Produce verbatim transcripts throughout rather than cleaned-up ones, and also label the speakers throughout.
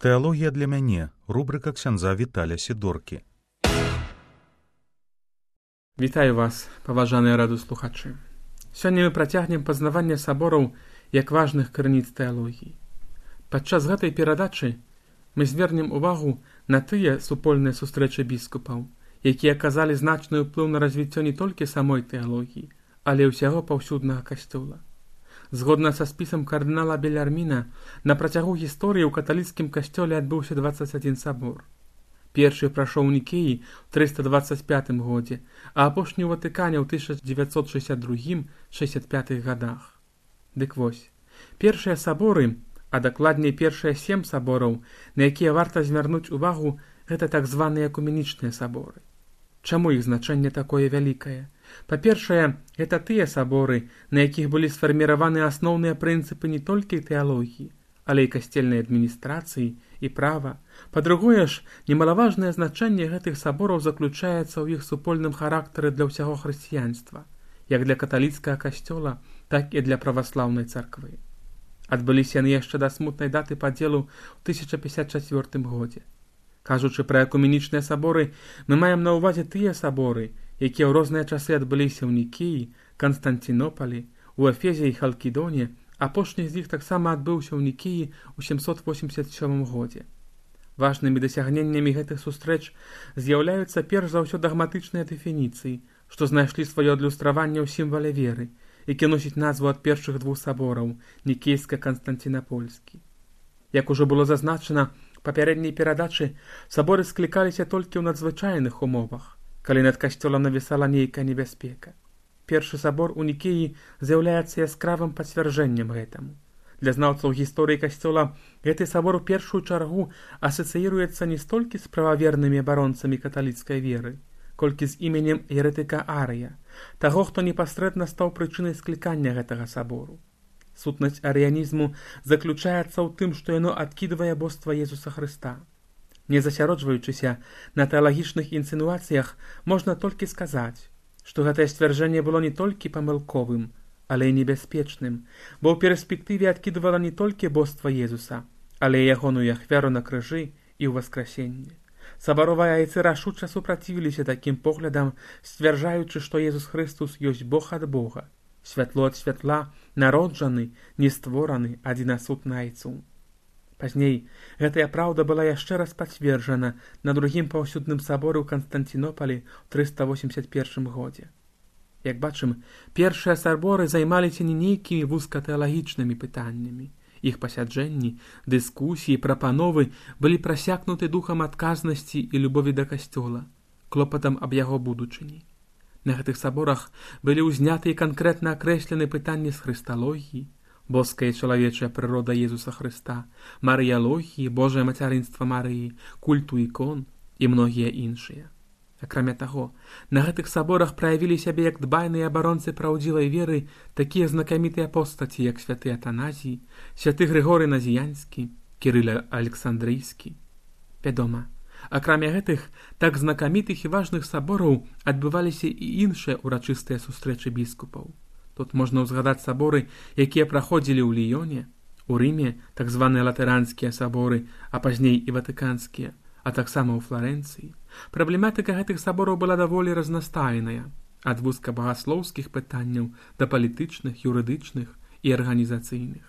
Speaker 1: Тэалогія для мяне. Рубрика ксяндза Віталя Сідоркі.
Speaker 2: Вітаю вас, паважаныя радыёслухачы. Сёння мы працягнем пазнаванне сабораў як важных крыніц тэалогіі. Падчас гэтай перадачы мы звернем увагу на тыя супольныя сустрэчы біскупаў, якія аказалі значны ўплыў на развіццё не толькі самой тэалогіі, але і ўсяго паўсюднага касцёла. Згодна са спісам кардынала Белярміна, на працягу гісторыі ў каталіцкім касцёле адбыўся дваццаць адзін сабор. Першы прайшоў у Нікеі ў трыста дваццаць пятым годзе, а апошні ў Ватыкане ў тысяча дзевяцьсот шэсцьдзясят другім — шэсцьдзясят пятым гадах. Дык вось, першыя саборы, а дакладней першыя сем сабораў, на якія варта звярнуць увагу, гэта так званыя экуменічныя саборы. Чаму іх значэнне такое вялікае? Па-першае, гэта тыя саборы, на якіх былі сфарміраваны асноўныя прынцыпы не толькі тэалогіі, але і касцельнай адміністрацыі і права. Па-другое ж, немалаважнае значэнне гэтых сабораў заключаецца ў іх супольным характары для ўсяго хрысціянства, як для каталіцкага касцёла, так і для праваслаўнай царквы. Адбыліся яны яшчэ да смутнай даты падзелу ў тысяча пятьдесят четвёртым годзе. Кажучы пра экуменічныя саборы, мы маем на ўвазе тыя саборы, якія ў розныя часы адбыліся ў Нікеі, Канстантінопалі, у Эфезе і Халкідоне. Апошні з іх таксама адбыўся ў Нікеі ў сямсот восемьдесят сёмым годзе. Важнымі дасягненнямі гэтых сустрэч з'яўляюцца перш за ўсё дагматычныя дэфініцыі, што знайшлі сваё адлюстраванне ў сімвале веры, які носіць назву ад першых двух сабораў — Нікейска-Канстантінапольскі. Як ужо было зазначана ў папярэдняй перадачы, саборы склікаліся толькі ў надзвычайных умовах, калі над касцёлам навісала нейкая небяспека. Першы сабор у Нікеі з'яўляецца яскравым пацвярджэннем гэтаму. Для знаўцаў гісторыі касцёла гэты сабор у першую чаргу асацыіруецца не столькі з прававернымі абаронцамі каталіцкай веры, колькі з іменем еретыка Арыя, таго, хто непасрэдна стаў прычынай склікання гэтага сабору. Сутнасць арыянізму заключаецца ў тым, што яно адкідвае боства Езуса Хрыста. Не засяроджваючыся на тэалагічных інсінуацыях, можна толькі сказаць, што гэтае сцвярджэнне было не толькі памылковым, але і небяспечным, бо ў перспектыве адкідвала не толькі боства Езуса, але і ягоную ахвяру на крыжы і ў васкрасенне. Сабаровыя айцы рашуча супрацівіліся такім поглядам, сцвярджаючы, што Езус Хрыстус ёсць Бог ад Бога, святло ад святла, народжаны, нествораны, адзінасуд на айцу. Пазней гэтая праўда была яшчэ раз пацверджана на другім паўсюдным саборы ў Канстантінопалі ў трыста восемьдесят першым годзе. Як бачым, першыя саборы займаліся не нейкімі вузкатэалагічнымі пытаннямі. Іх пасяджэнні, дыскусіі, прапановы былі прасякнуты духам адказнасці і любові да касцёла, клопатам аб яго будучыні. На гэтых саборах былі ўзняты і канкрэтна акрэслены пытанні з хрысталогіі, боская і чалавечая прырода Езуса Хрыста, марыялогіі, Божае мацярынства Марыі, культу ікон і многія іншыя. Акрамя таго, на гэтых саборах праявілі сябе як дбайныя абаронцы праўдзівай веры такія знакамітыя постаці, як святы Атаназій, святы Грыгорый Назіянскі, Кірыл Александрыйскі. Вядома, акрамя гэтых так знакамітых і важных сабораў адбываліся і іншыя урачыстыя сустрэчы біскупаў. Тут можна ўзгадаць саборы, якія праходзілі ў Ліёне, у Рыме, так званыя латаранскія саборы, а пазней і ватыканскія, а таксама ў Фларэнцыі. Праблематыка гэтых сабораў была даволі разнастайная, ад вузкабагаслоўскіх пытанняў да палітычных, юрыдычных і арганізацыйных.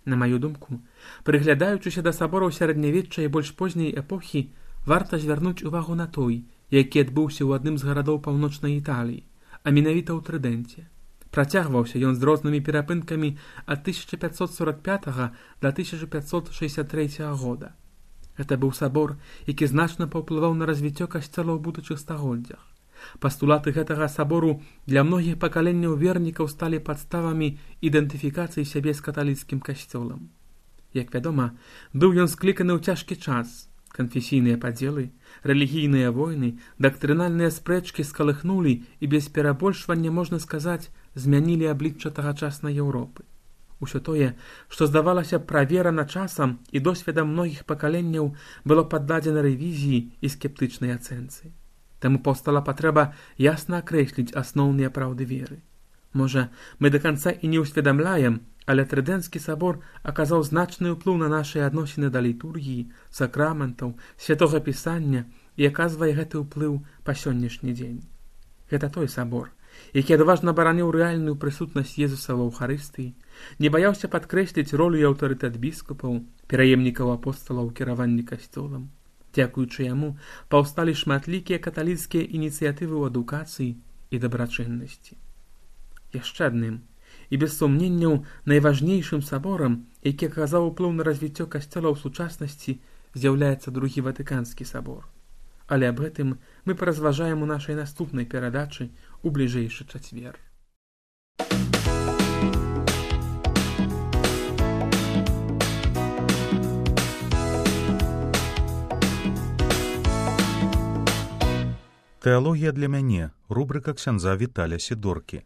Speaker 2: На маю думку, прыглядаючыся да сабораў сярэднявечча і больш позняй эпохі, варта звярнуць увагу на той, які адбыўся ў адным з гарадоў паўночнай Італіі, а менавіта ў Трыдэнце. Працягваўся ён з рознымі перапынкамі ад тысяча пятьсот сорок пятага да тысяча пятьсот шэсцьдзясят трэцяга года. Гэта быў сабор, які значна паўплываў на развіццё касцёла ў будучых стагоддзях. Пастулаты гэтага сабору для многіх пакаленняў вернікаў сталі падставамі ідэнтыфікацыі сябе з каталіцкім касцёлам. Як вядома, быў ён скліканы ў цяжкі час. Канфесійныя падзелы, рэлігійныя войны, дактрынальныя спрэчкі скалыхнулі і без перабольшвання, можна сказаць, змянілі аблічча тагачаснай Еўропы. Усё тое, што здавалася праверана часам і досведам многіх пакаленняў, было паддадзена рэвізіі і скептычнай ацэнцы. Таму паўстала патрэба ясна акрэсліць асноўныя праўды веры. Можа, мы да канца і не ўсведамляем, Але Трыдэнцкі сабор аказаў значны ўплыў на нашыя адносіны да літургіі, сакраментаў, святога пісання і аказвае гэты ўплыў па сённяшні дзень. Гэта той сабор, які адважна бараніў рэальную прысутнасць Езуса ва Эўхарыстыі, не баяўся падкрэсліць ролю і аўтарытэт біскупаў, пераемнікаў апосталаў у кіраванні касцёлам. Дзякуючы яму паўсталі шматлікія каталіцкія ініцыятывы ў адукацыі і дабрачыннасці. Яшчэ адным і без сумненняў найважнейшым саборам, які аказаў уплыў на развіццё касцёла ў сучаснасці, з'яўляецца другі Ватыканскі сабор. Але аб гэтым мы паразважаем у нашай наступнай перадачы у бліжэйшы чацвер.
Speaker 1: Тэалогія для мяне. Рубрыка ксяндза Віталя Сідоркі.